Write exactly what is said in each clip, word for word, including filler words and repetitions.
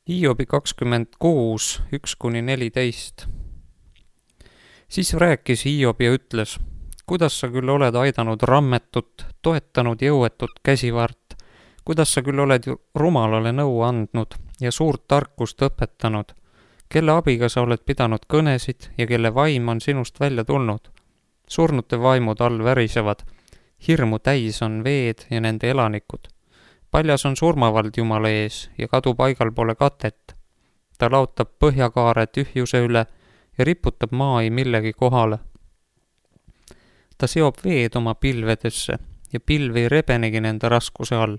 Hiobi kakskümmend kuus, üks kuni neliteist. Siis rääkis Hiob ja ütles, kuidas sa küll oled aidanud rammetut, toetanud jõuetut käsivart, kuidas sa küll oled rumalale nõu andnud ja suurt tarkust õpetanud, kelle abiga sa oled pidanud kõnesid ja kelle vaim on sinust välja tulnud. Surnute vaimud all värisevad, hirmu täis on veed ja nende elanikud. Paljas on surmavald Jumala ees ja kadupaigal pole katet. Ta laotab põhjakaare tühjuse üle ja riputab maai millegi kohale. Ta seob veed oma pilvedesse ja pilv ei rebenegi nende raskuse all.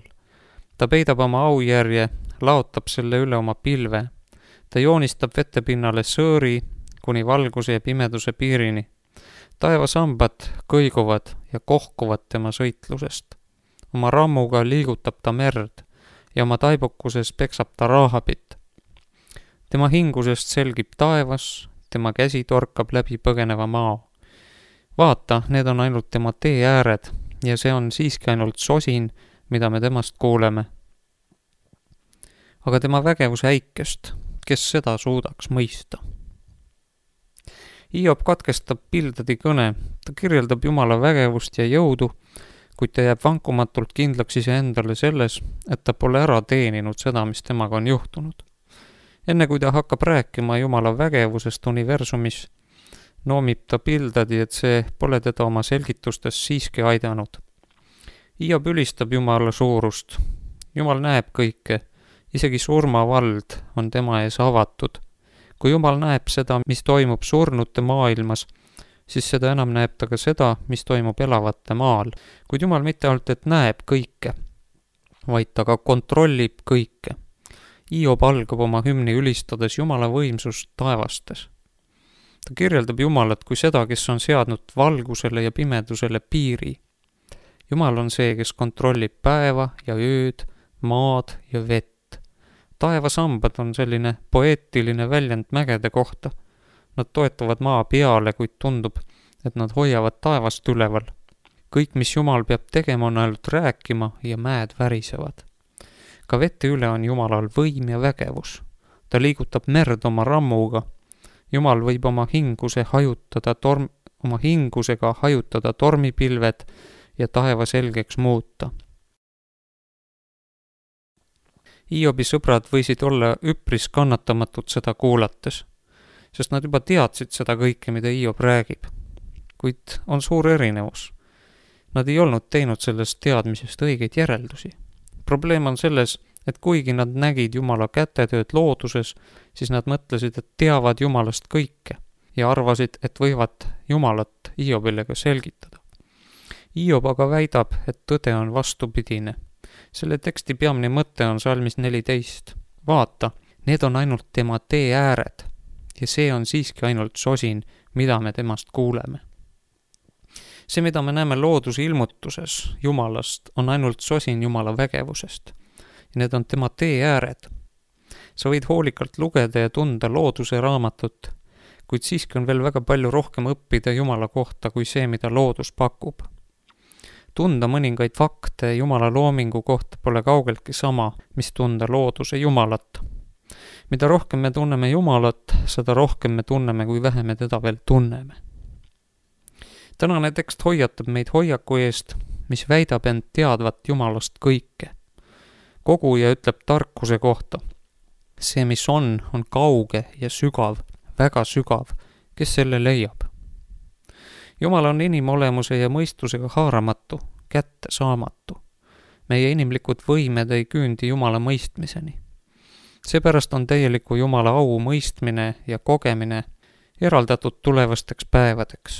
Ta peidab oma aujärje, laotab selle üle oma pilve. Ta joonistab vetepinnale sõõri kuni valguse ja pimeduse piirini. Taevasambad kõiguvad ja kohkuvad tema sõitlusest. Oma rammuga liigutab ta merd ja oma taibukuses peksab ta Rahabit. Tema hingusest selgib taevas, tema käsi torkab läbi põgeneva maa. Vaata, need on ainult tema tee ääred ja see on siiski ainult sosin, mida me temast kuuleme. Aga tema vägevus äikest, kes seda suudaks mõista? Hiob katkestab Bildadi kõne, ta kirjeldab Jumala vägevust ja jõudu, kuid ta jääb vankumatult kindlaks iseendale selles, et ta pole ära teeninud seda, mis temaga on juhtunud. Enne kui ta hakkab rääkima Jumala vägevusest universumis, noomib ta Bildadi, et see pole teda oma selgitustes siiski aidanud. Hiob ülistab Jumala suurust. Jumal näeb kõike, isegi surmavald on tema ees avatud. Kui Jumal näeb seda, mis toimub surnute maailmas, siis seda enam näeb ta ka seda, mis toimub elavate maal. Kuid Jumal mitte ainult, et näeb kõike, vaid ta ka kontrollib kõike. Hiob algab oma hümni ülistades Jumala võimsust taevastes. Ta kirjeldab Jumalat kui seda, kes on seadnud valgusele ja pimedusele piiri. Jumal on see, kes kontrollib päeva ja ööd, maad ja vett. Taevasambad on selline poeetiline väljend mägede kohta. Nad toetuvad maa peale, kuid tundub, et nad hoiavad taevast üleval. Kõik, mis Jumal peab tegema, on ainult rääkima ja mäed värisevad. Ka vette üle on Jumalal võim ja vägevus. Ta liigutab merd oma rammuga. Jumal võib oma hinguse hajutada torm, oma hingusega hajutada tormipilved ja taeva selgeks muuta. Hiobi sõbrad võisid olla üpris kannatamatud seda kuulates, sest nad juba teadsid seda kõike, mida Hiob räägib. Kuid on suur erinevus. Nad ei olnud teinud sellest teadmisest õigeid järeldusi. Probleem on selles, et kuigi nad nägid Jumala kätetööd looduses, siis nad mõtlesid, et teavad Jumalast kõike ja arvasid, et võivad Jumalat Hiobile ka selgitada. Hiob aga väidab, et tõde on vastupidine. Selle teksti peamine mõte on salmis neliteist. Vaata, need on ainult tema tee ääred ja see on siiski ainult sosin, mida me temast kuuleme. See, mida me näeme looduse ilmutuses Jumalast, on ainult sosin Jumala vägevusest. Ja need on tema tee ääred. Sa võid hoolikalt lugeda ja tunda looduse raamatut, kuid siiski on veel väga palju rohkem õppida Jumala kohta kui see, mida loodus pakub. Tunda mõningaid fakte Jumala loomingu kohta pole kaugeltki sama, mis tunda looduse Jumalat. Mida rohkem me tunneme Jumalat, seda rohkem me tunneme, kui vähe me teda veel tunneme. Tänane tekst hoiatab meid hoiaku eest, mis väidab end teadvat Jumalast kõike. Koguja ütleb tarkuse kohta. See, mis on, on kauge ja sügav, väga sügav, kes selle leiab. Jumal on inimolemuse ja mõistusega haaramatu, kätte saamatu. Meie inimlikud võimed ei küündi Jumala mõistmiseni. Seepärast on täieliku Jumala au mõistmine ja kogemine eraldatud tulevasteks päevadeks.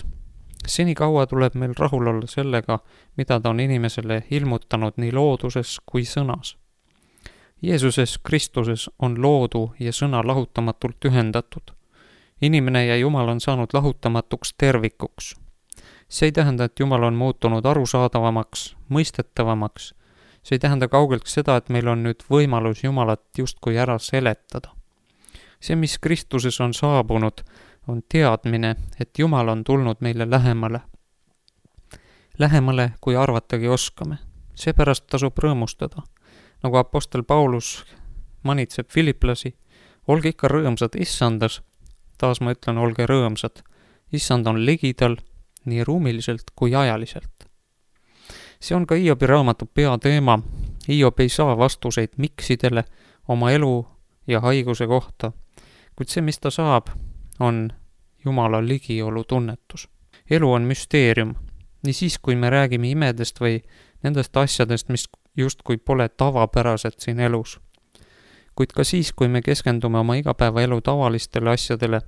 Senikaua tuleb meil rahul olla sellega, mida ta on inimesele ilmutanud nii looduses kui sõnas. Jeesuses Kristuses on loodu ja sõna lahutamatult ühendatud. Inimene ja Jumal on saanud lahutamatuks tervikuks. See ei tähenda, et Jumal on muutunud arusaadavamaks, mõistetavamaks. See ei tähenda kaugelt seda, et meil on nüüd võimalus Jumalat justkui ära seletada. See, mis Kristuses on saabunud, on teadmine, et Jumal on tulnud meile lähemale. Lähemale, kui arvatagi oskame. Seepärast tasub rõõmustada. Nagu apostel Paulus manitseb filiplasi, olge ikka rõõmsad issandas, taas ma ütlen, olge rõõmsad, issand on ligidal nii ruumiliselt kui ajaliselt. See on ka Hiobi raamatu peateema. Hiob ei saa vastuseid miksidele oma elu ja haiguse kohta, kuid see, mis ta saab, on Jumala ligiolu tunnetus. Elu on müsteerium, nii siis, kui me räägime imedest või nendest asjadest, mis justkui pole tavapärased siin elus. Kuid ka siis, kui me keskendume oma igapäevaelu tavalistele asjadele,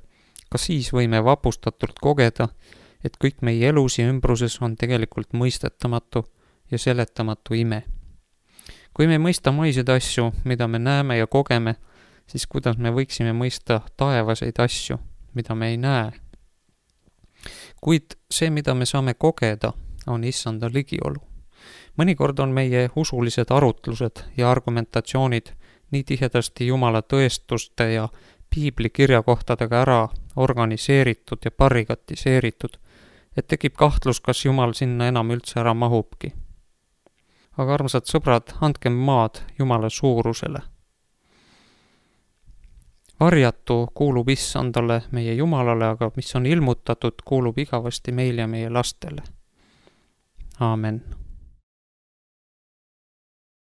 ka siis võime vapustatult kogeda, et kõik meie elus ja ümbruses on tegelikult mõistetamatu ja seletamatu ime. Kui me mõista maiseid asju, mida me näeme ja kogeme, siis kuidas me võiksime mõista taevaseid asju, mida me ei näe. Kuid see, mida me saame kogeda, on issanda ligiolu. Mõnikord on meie usulised arutlused ja argumentatsioonid nii tihedasti Jumala tõestuste ja piibli kirjakohtadega ära organiseeritud ja parigatiseeritud, et tekib kahtlus, kas Jumal sinna enam üldse ära mahubki. Aga armsad sõbrad, andkem maad Jumala suurusele. Varjatu kuulub issandale, meie Jumalale, aga mis on ilmutatud, kuulub igavasti meile ja meie lastele. Aamen.